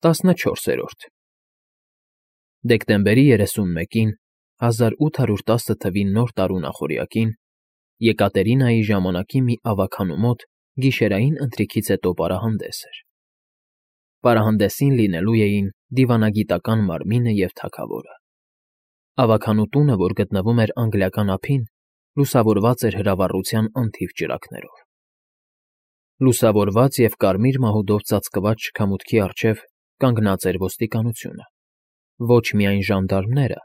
14-րդ Դեկտեմբերի 31-ին 1810 թվի Նոր տարու նախօրյակին Եկատերինայի ժամանակի մի ավագանու մոտ գիշերային ընթրիքից հետո պարահանդես էր։ Պարահանդեսին լինելու էին դիվանագիտական մարմինը և թագավորը։ Ավագանու տունը, որ գտնվում էր անգլիական ափին, լուսավորված էր հրավառության անթիվ ճրագներով։ Լուսավորված և կարմիր մահուդով ծածկված շքամուտքի առջև կանգնած էր ոստիկանությունը, ոչ միայն ժանդարմները,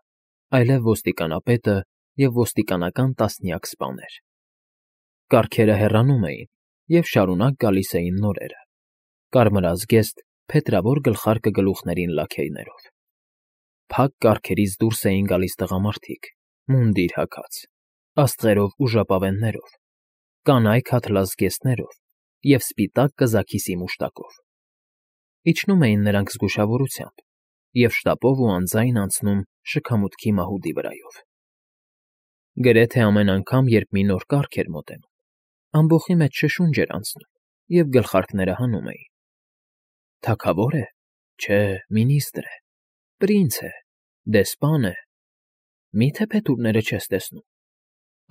այլև ոստիկանապետը և ոստիկանական տասնյակ սպաներ։ Կառքերը հեռանում էին, և շարունակ գալիս էին նորերը՝ կարմրազգեստ, փետրավոր գլխարկը գլուխներին լաքեյներով։ Փակ կառքերից դուրս էին գալիս տղամարդիկ, մունդիր հագած, աստղերով ու ժապավեններով, կանայք ատլասզգեստներով և սպիտակ կզաքիսի մուշտակով։ Իջնում էին նրանք զգուշավորությամբ և շտապով ու անձայն անցնում շքամուտքի մահուդի վրայով։ Գրեթե ամեն անգամ, երբ մի նոր կառք էր մոտենում, ամբոխի մեջ շշունջ էր անցնում, և գլխարկները հանում էին. թագավո՞ր է, չէ, մինիստր է, պրինց է, դեսպան է, մի՞թե փետուրները չես տեսնում,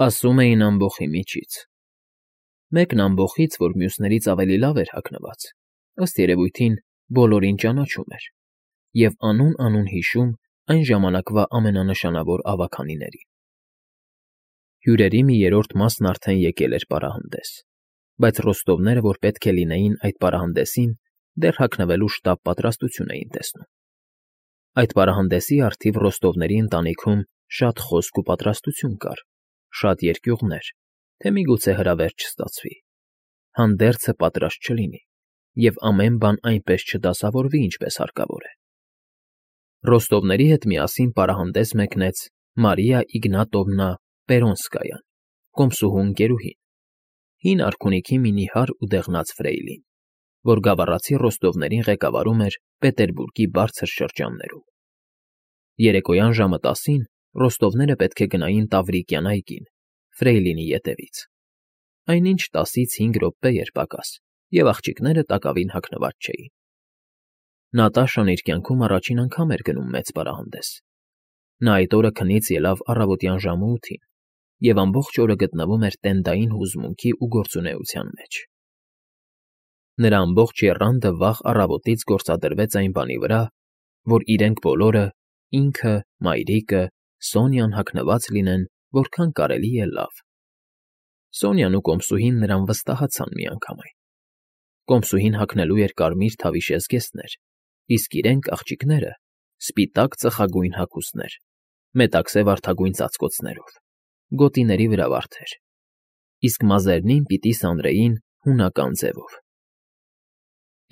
ասում էին ամբոխի միջից։ Մեկն ամբոխից, որ մյուսներից ավելի լավ էր հագնված, ըստ երևույթին բոլորին ճանաչում էր և անուն հիշում այն ժամանակվա ամենանշանավոր ավագանիներին։ Հյուրերի մի երրորդ մասն արդեն եկել էր պարահանդես, բայց ռոստովները, որ պետք է լինեին այդ պարահանդեսին, դեռ հագնվելու շտապ պատրաստություն էին տեսնում։ Այդ պարահանդեսի առթիվ ռոստովների ընտանիքում շատ խոսք ու պատրաստություն կար, շատ երկյուղներ, թե միգուցե հրավեր չստացվի, հանդերձը պատրաստ չլինի և ամեն բան այնպես չդասավորվի, ինչպես հարկավոր է։ Ռոստովների հետ միասին պարահանդես մեկնեց Մարիա Իգնատովնա Պերոնսկայան, կոմսուհու ընկերուհին, հին արքունիքի մի նիհար ու դեղնած ֆրեյլին, որ գավառացի ռոստովներին ղեկավարում էր Պետերբուրգի բարձր շրջաններում։ Երեկոյան ժամը 10-ին ռոստովները պետք է գնային Տավրիկյան այգին, ֆրեյլինի ետևից։ Այնինչ 10-ից 5 րոպե էր պակաս, և աղջիկները տակավին հագնված չէին։ Նատաշան իր կյանքում առաջին անգամ էր գնում մեծ պարահանդես։ Նա այդ օրը քնից ելավ առավոտյան ժամը 8-ին և ամբողջ օրը գտնվում էր տենդային հուզմունքի ու գործունեության մեջ։ Նրա ամբողջ եռանդը վաղ առավոտից գործադրվեց այն բանի վրա, որ իրենք բոլորը՝ ինքը, մայրիկը, Սոնյան հագնված լինեն որքան կարելի է լավ։ Սոնյան ու կոմսուհին նրան վստահացան միանգամայն։ Կոմսուհին հագնելու էր կարմիր թավիշե զգեստներ, իսկ իրենք, աղջիկները, սպիտակ ծխագույն հագուստներ, մետաքսե վարդագույն ծածկոցներով, գոտիների վրա վարդեր, իսկ մազերնին պիտի սանրեին հունական ձևով։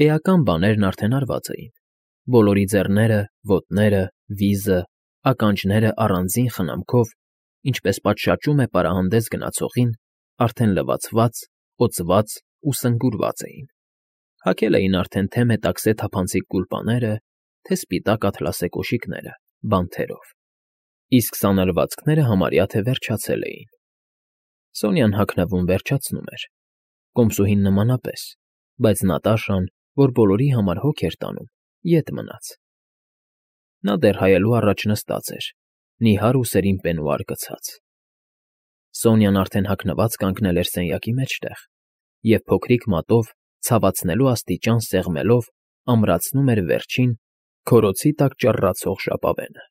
Էական բաներն արդեն արված էին. բոլորի ձեռները, ոտները, վիզը, ականջները առանձին խնամքով, ինչպես պատշաճում է պարահանդես գնացողին, արդեն լվացված, օծված ու սնգուրված էին։ Հագել էին արդեն թե մետաքսե թափանցիկ գուլպաները, թե սպիտակ ատլասե կոշիկները, բանթերով, իսկ սանրվածքները համարյա թե վերջացել էին։ Սոնյան հագնվում վերջացնում էր, կոմսուհին նմանապես, բայց Նատաշան, որ բոլորի համար հոգ էր տանում, ետ մնաց։ Նա դեռ հայելու առաջ նստած էր, նիհար ուսերին պենուար գցած։ Սոնյան արդեն հագնված կանգնել էր սենյակի մեջտեղ և փոքրիկ մատով, ցավացնելու աստիճան սեղմելով, ամրացնում էր վերջին, քորոցի տակ ճռռացող ժապավենը։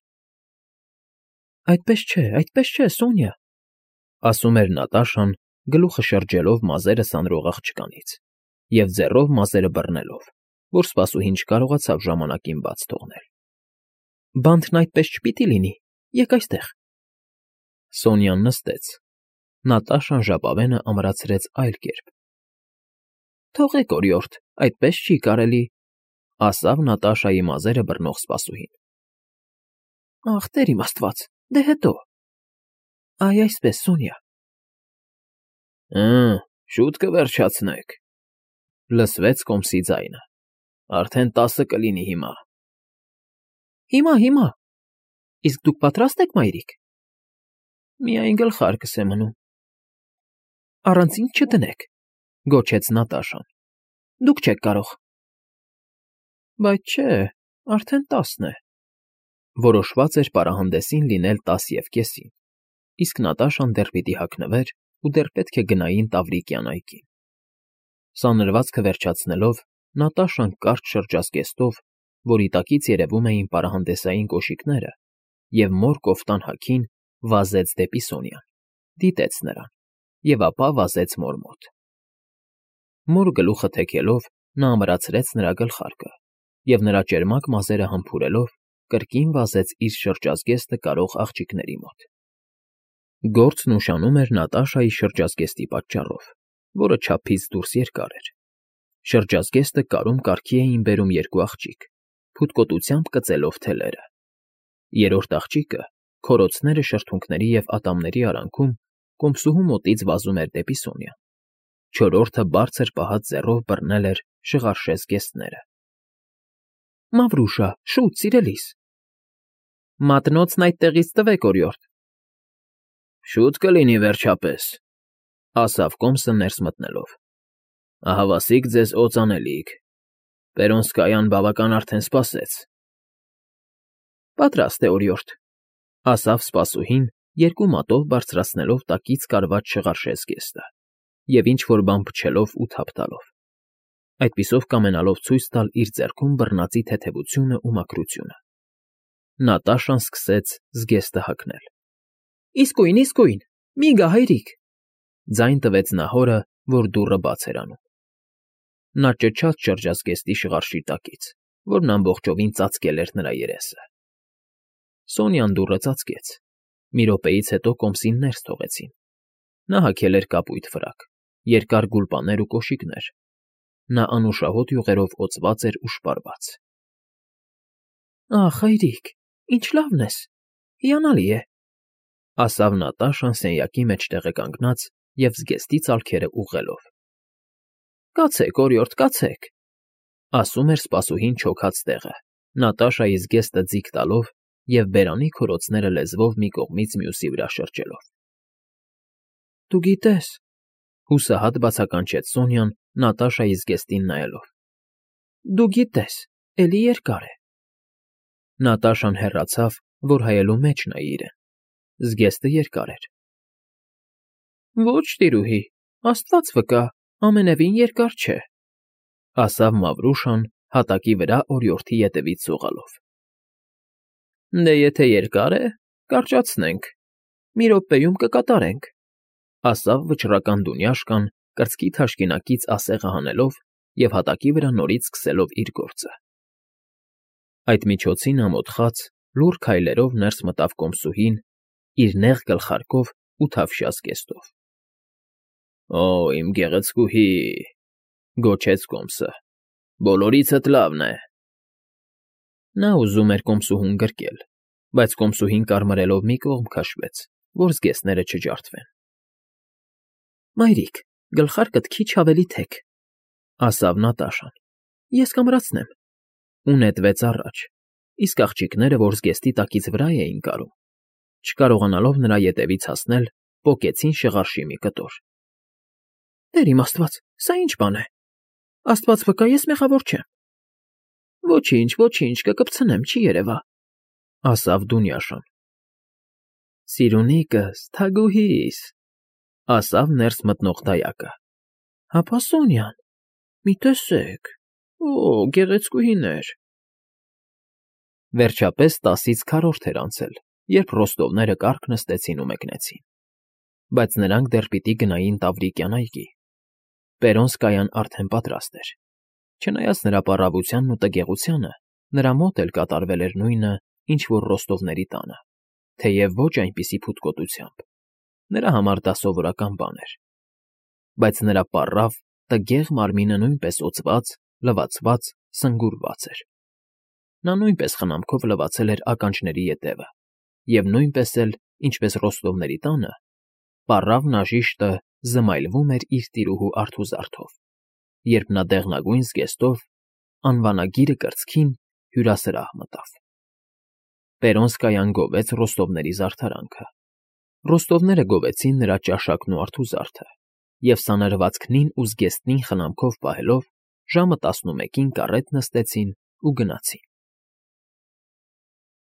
Այդպես չէ, Սոնյա, ասում էր Նատաշան, գլուխը շրջելով մազերը սանրող աղջկանից և ձեռով մազերը բռնելով, որ սպասուհին չկարողացավ ժամանակին բաց թողնել։ Բանթն այդպես չպիտի լինի, եկ այստեղ։ Սոնյան նստեց։ Նատաշան ժապավենը ամրացրեց այլ կերպ։ Թողեք, օրիորդ, այդպես չի կարելի, ասավ Նատաշայի մազերը բռնող սպասուհին։ Ախ, տեր իմ աստված, դե հետո։ Այ այսպես, Սոնյա։ Շուտ կվերջացնեք, լսվեց կոմսի ձայնը։ Արդեն 10 կլինի հիմա։ Հիմա։ Իսկ դուք պատրաստ եք, մայրիկ։ Միայն գլխարկս է մնում։ Առանց ինձ չդնեք, գոչեց Նատաշան։ Դուք չեք կարող։ Բայց չէ, արդեն 10 է։ Որոշված էր պարահանդեսին լինել 10:30, իսկ Նատաշան դեռ պիտի հագնվեր ու դեռ պետք է գնային Տավրիկյան այգին։ Սանրվածքը վերջացնելով, Նատաշան կարճ շրջազգեստով, որի տակից երևում էին պարահանդեսային կոշիկները, և մոր կոֆտան հագին վազեց դեպի Սոնյան, դիտեց նրան և ապա վազեց մոր մոտ։ Մոր գլուխը թեքելով՝ նա ամրացրեց նրա գլխարկը և նրա ճերմակ մազերը համբուրելով կրկին վազեց իր շրջազգեստը կարող աղջիկների մոտ։ Գործն ուշանում էր Նատաշայի շրջազգեստի պատճառով, որը չափից դուրս երկար էր։ Շրջազգեստը կարում կարգի էին բերում երկու աղջիկ, փութկոտությամբ կծելով թելերը։ Երրորդ աղջիկը, քորոցները շրթունքների և ատամների արանքում, կոմսուհու մոտից վազում էր դեպի Սոնյան։ Չորրորդը բարձր պահած ձեռով բռնել էր շղարշե զգեստները։ Մավրուշա, շուտ, սիրելիս։ Մատնոցն այդտեղից տվեք, օրիորդ։ Շուտ կլինի վերջապես, ասավ կոմսը ներս մտնելով։ Ահավասիկ ձեզ օծանելիք։ Պերոնսկայան բավական արդեն սպասեց։ Պատրաստ է, օրիորդ, ասավ սպասուհին, երկու մատով բարձրացնելով տակից կարված շղարշե զգեստը և ինչ-որ բան փչելով ու թափ տալով, այդպիսով կամենալով ցույց տալ իր ձեռքում բռնածի թեթևությունն ու մաքրությունը։ Նատաշան սկսեց զգեստը հագնել։ Իսկույն, մի գա, հայրիկ, ձայն տվեց նա հորը, որ դուռը բաց էր անում։ Նա ճչաց շրջազգեստի շղարշի տակից, որն ամբողջովին ծածկել էր նրա երեսը։ Սոնյան դուռը ծածկեց։ Մի րոպեից հետո կոմսին ներս թողեցին։ Նա հագել էր կապույտ ֆրակ, երկար գուլպաներ ու կոշիկներ։ Նա անուշահոտ յուղերով օծված էր ու շպարված։ Ախ, հայրիկ, ինչ լավն ես, հիանալի է, ասավ Նատաշան սենյակի մեջտեղը կանգնած և զգեստի ծալքերը ուղղելով։ Կացեք, օրիորդ, կացեք, ասում էր սպասուհին չոքած տեղը, Նատաշայի զգեստը ձիգ տալով և բերանի քորոցները լեզվով մի կողմից մյուսի վրա շրջելով։ Դու գիտես, հուսահատ բացականչեց Սոնյան Նատաշայի զգեստին նայելով։ Դու գիտես, էլի երկար է։ Նատաշան հեռացավ, որ հայելու մեջ նայի իրեն։ Զգեստը երկար էր։ Ոչ, տիրուհի, Աստված վկա, ամենևին երկար չէ, ասավ Մավրուշան հատակի վրա օրիորդի ետևից սողալով։ Դե եթե երկար է, կարճացնենք, մի րոպեում կկատարենք, ասավ վճռական դունյաշկան կրծքի թաշկինակից ասեղը հանելով և հատակի վրա նորից սկսելով իր գործը։ Այդ միջոցին ամոթխած, լուռ քայլերով ներս մտավ կոմսուհին, իր նեղ գլխարկով ու թավշյա զգեստով։ Օ, իմ գեղեցկուհի, գոչեց կոմսը, բոլորիցդ լավն է։ Նա ուզում էր կոմսուհուն գրկել, բայց կոմսուհին կարմրելով մի կողմ քաշվեց, որ զգեստները չջարդվեն։ Մայրիկ, գլխարկդ քիչ ավելի թեք, ասավ Նատաշան։ Ես կամրացնեմ։ Ու նետվեց առաջ, իսկ աղջիկները, որ զգեստի տակից վրա էին կարում, չկարողանալով նրա ետևից հասնել, պոկեցին շղարշի մի կտոր։ Տեր իմ Աստված, սա ինչ բան է։ Աստված վկա, ես մեղավոր չեմ։ Ոչինչ, կկպցնեմ, չի երևա, ասավ Դունյաշան։ Սիրունիկս, թագուհիս, ասավ ներս մտնող դայակը։ Հապա Սոնյան, մի տեսեք, օ, գեղեցկուհիներ։ Վերջապես 10-ից քառորդ էր անցել, երբ ռոստովները կառք նստեցին ու մեկնեցին։ Բայց նրանք դեռ պիտի գնային Տավրիկյան այգի։ Պերոնսկայան արդեն պատրաստ էր։ Չնայած նրա պառավությանն ու տգեղությանը, նրա մոտ էլ կատարվել էր նույնը, ինչ որ Ռոստովների տանը, թեև ոչ այնպիսի փութկոտությամբ։ Նրա համար դա սովորական բան էր։ Բայց նրա պառավ, տգեղ մարմինը նույնպես օծված, լվացված, սնգուրված էր։ Նա նույնպես խնամքով լվացել էր ականջների ետևը, և նույնպես էլ, ինչպես Ռոստովների տանը, պառավնաժիշտը զմայլվում էր իր տիրուհու արթուզարդով, երբ նա դեղնագույն զգեստով, անվանագիրը կրծքին, հյուրասրահ մտավ։ Պերոնսկայան գովեց Ռոստովների զարդարանքը։ Ռոստովները գովեցին նրա ճաշակն ու արթուզարդը, և սանրվածքնին ու զգեստնին խնամքով պահելով, ժամը 11-ին կարետ նստեցին ու գնացին։